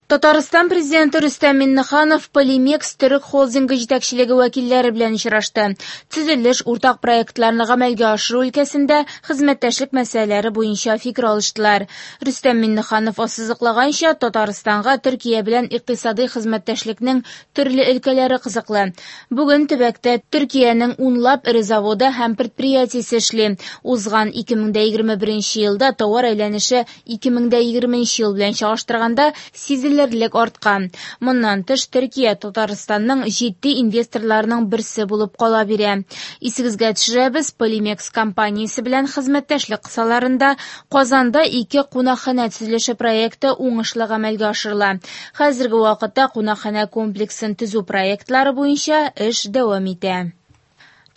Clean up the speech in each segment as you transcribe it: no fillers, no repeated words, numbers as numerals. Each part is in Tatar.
Татарстан Президенты Рөстәм Миңнеханов Полимекс төрек холдингы җитәкчелеге вәкилләре белән очрашты. Төзелеш, уртак проектларны гамәлгә ашыру өлкәсендә хезмәттәшлек мәсьәләләре буенча фикер алыштылар. Рөстәм Миңнеханов ассызыклаганча, Татарстанга Төркия белән икътисадый хезмәттәшлекнең төрле өлкәләре кызыклы. Бүген төбәктә Төркиянең унлап эре заводы һәм предприятиесе эшли. Узган 2021 елда товар әйләнеше 2020 ел белән чагыштырганда сизелерлек арткан. Моннан тыш, Төркия Татарстанның җитди инвесторларының берсе булып кала бирә. Исегезгә төшерәбез, Полимекс компаниясе белән хезмәттәшлек кысаларында Казанда ике кунакханә төзелеше проекты уңышлы гамәлгә ашырыла. Хәзерге вакытта кунакханә комплексын төзү проектлары буенча эш дәвам итә.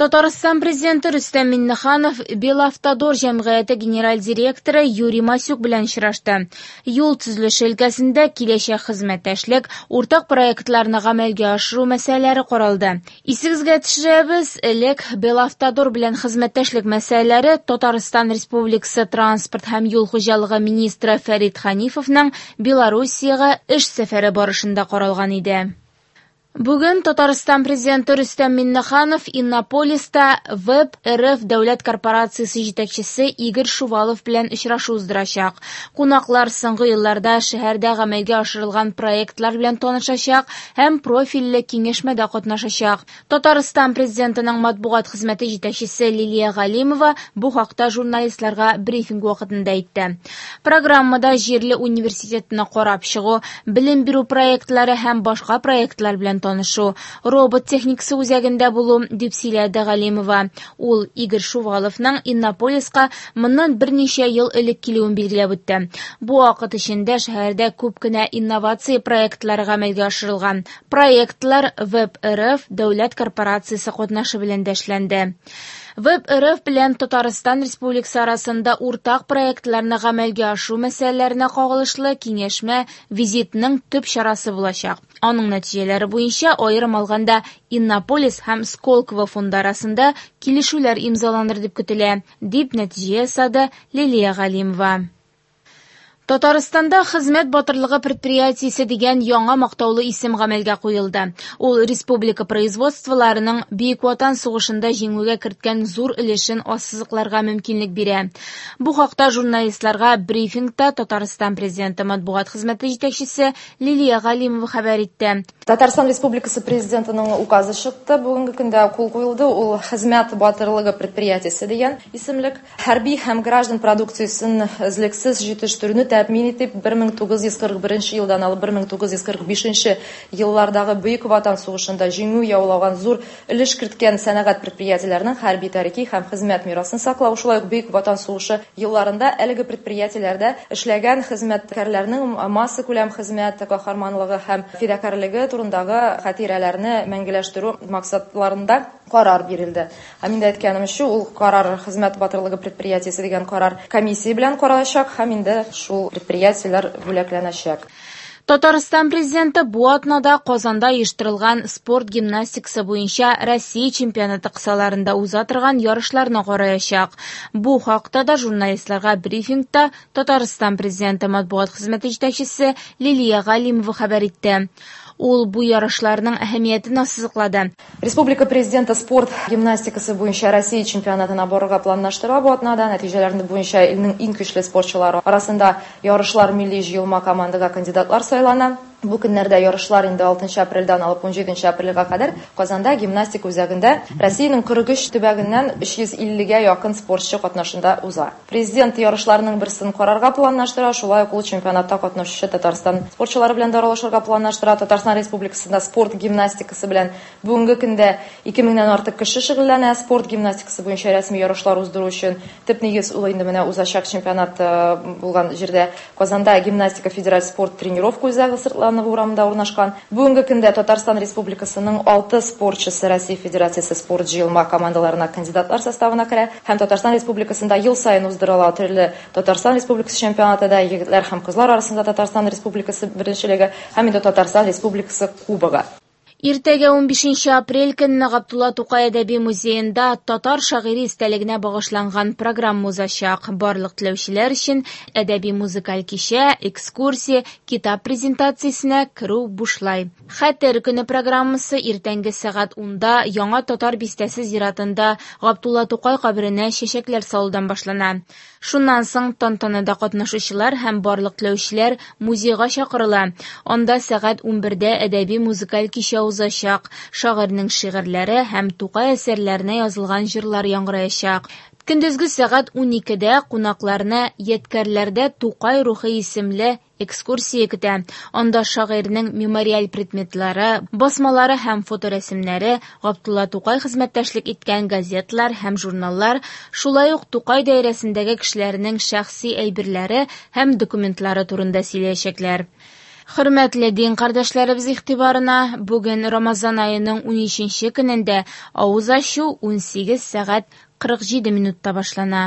Татарстан Президенты Рөстәм Миңнеханов Белавтодор җәмгыяте генераль директоры Юрий Масюк белән очрашты. Юл төзелеше өлкәсендә киләчәк хезмәттәшлек, уртак проектларны гамәлгә ашыру мәсьәләләре каралды. Исегезгә төшерәбез, элек Белавтодор белән хезмәттәшлек мәсьәләләре Татарстан Республикасы транспорт һәм юл хуҗалыгы министры Фәрит Ханифовның Белоруссиягә эш сәфәре барышында каралган иде. Бүген Татарстан Президенты Рөстәм Миңнеханов Иннополиста Веб РФ дәүләт корпорациясе җитәкчесе Игорь Шувалов белән очрашу уздырачак. Кунаклар соңгы елларда шәһәрдә гамәлгә ашырылган проектлар белән танышачак һәм профильле киңәшмәдә катнашачак. Татарстан Президентының матбугат хезмәте җитәкчесе Лилия Галимова бу хакта журналистларга брифинг вакытында әйтте. Программада җирле университетны карап чыгу, белем бирү проектлары һәм башка проектлар белән танышу, робот техникасы үзәгендә булу, дип сөйләде Галимова. Ул Игорь Шуваловның Иннополиска моннан берничә ел элек килүен билгеләп үтте. Бу вакыт эчендә шәһәрдә күп кенә инновация проектлары гамәлгә ашырылган. Проектлар Веб РФ дәүләт корпорациясе катнашы белән дә эшләнде. Веб РФ белән Татарстан Республикасы арасында уртак проектларны гамәлгә ашыру мәсьәләләренә кагылышлы киңәшмә визитның төп чарасы булачак. Аның нәтиҗәләре буенча, аерым алганда, Иннополис һәм Сколково фонды арасында килешүләр имзаланыр дип көтелә, дип нәтиҗә ясады Лилия Галимова. Татарстанда Хезмәт батырлыгы предприятиесе дигән яңа мактаулы исем гамәлгә куелды. Ул республика производстволарының Бөек Ватан сугышында җиңүгә керткән зур өлешен ассызыкларга мөмкинлек бирә. Бу хакта журналистларга брифингта Татарстан Президенты матбугат хезмәте җитәкчесе Лилия Галимова хәбәр итте. Татарстан Республикасы Президентының указы чыкты. Бүгенге көндә кул куелды. Ул Хезмәт батырлыгы предприятиесе дигән исемлек. Хәрби һәм граждан продукциясен өзлексез җитештерүне тәэмин итеп, 1941 елдан алып 1945 еллардагы Бөек Ватан сугышында җиңү яулаган зур өлеш керткән сәнәгать предприятиеләренең хәрби тарихи һәм хезмәт мирасын саклау, шулай ук Бөек Ватан сугышы елларында әлеге предприятиеләрдә эшләгән хезмәткәрләрнең массакүләм хезмәт каһарманлыгы һәм фидакарьлеге турындагы хатирәләрне мәңгеләштерү максатларында карар бирелде. Һәм инде әйткәнемчә, ул карар Хезмәт батырлыгы предприятиесе дигән карар комиссия белән каралачак һәм инде шул предприятиеләр бүләкләнәчәк. Татарстан Президенты бу атнада Казанда оештырылган спорт гимнастикасы буенча Россия чемпионаты кысаларында уза торган ярышларны караячак. Бу хакта да журналистларга брифингта Татарстан Президенты матбугат хезмәте җитәкчесе Лилия Галимова хәбәр итте. Ул бу ярышларның әһәмиятен ассызыклады. Республика Президенты спорт гимнастикасы буенча Россия чемпионатына барырга планлаштыра бу атнада. Нәтиҗәләрне буенча илнең иң көчле спортчылары арасында ярышлар милли җыелма командага кандидатлар сайлана. Бу көннәрдә ярышлар инде 6 апрельдән алып 17 апрельгә кадәр Казанда гимнастика үзәгендә Россиянең 43 төбәгеннән 350гә якын спортчы катнашында уза. Президент ярышларның берсен карарга планлаштыра, шулай ук ул чемпионатта катнашучы Татарстан спортчылары белән дә аралашырга планлаштыра. Татарстан Республикасында спорт гимнастикасы белән бүгенге көндә 2000-нән артык кеше шөгыльләнә. Спорт гимнастикасы буенча рәсми ярышлар уздыру өчен төп нигез ул инде менә узачак чемпионат булган җирдә Казанда гимнастика федераль спорт тренировка үзәге Сыртланова урамында урнашкан. Бүгенге көндә Татарстан Республикасының 6 спортчысы Россия Федерациясе спорт җыелма командаларына кандидатлар составына керә һәм Татарстан Республикасында ел саен уздырыла төрле Татарстан Республикасы чемпионаты да егетләр һәм кызлар арасында Татарстан Республикасы беренчелеге һәм инде Татарстан Республикасы кубогы. Иртәгә 15 апрель көнне Габдулла Тукай әдәби музеенда татар шагыйре истәлегенә багышланган программа узачак. Барлык теләүчеләр өчен әдәби музыкаль кичә, экскурсия, китап презентациясенә керү бушлай. Хәтер көне программасы иртәнге сәгать 10-да Яңа Татар бистәсе зиратында Габдулла Тукай каберенә чәчәкләр салудан башлана. Шуннан соң тантанада катнашучылар һәм барлык теләүчеләр музейга чакырыла. Анда сәгать 11-дә әдәби музыкаль кичә узачак. Шагыйрьнең шигырьләре һәм Тукай әсәрләренә язылган җырлар яңгыраячак. Көндезге сәгать 12-дә кунакларны Ядкәрләрдә Тукай рухы исемле экскурсия көтә. Анда шагыйрьнең мемориаль предметлары, басмалары һәм фоторәсемнәре, Габдулла Тукай хезмәттәшлек иткән газеталар һәм журналлар, шулай ук Тукай даирәсендәге кешеләрнең шәхси әйберләре һәм документлары турында сөйләячәкләр. Хөрмәтле дин кардәшләребез игътибарына, бүген Рамазан аеның 13 көнендә авыз ачу 18 сәгать 47 минутта башлана.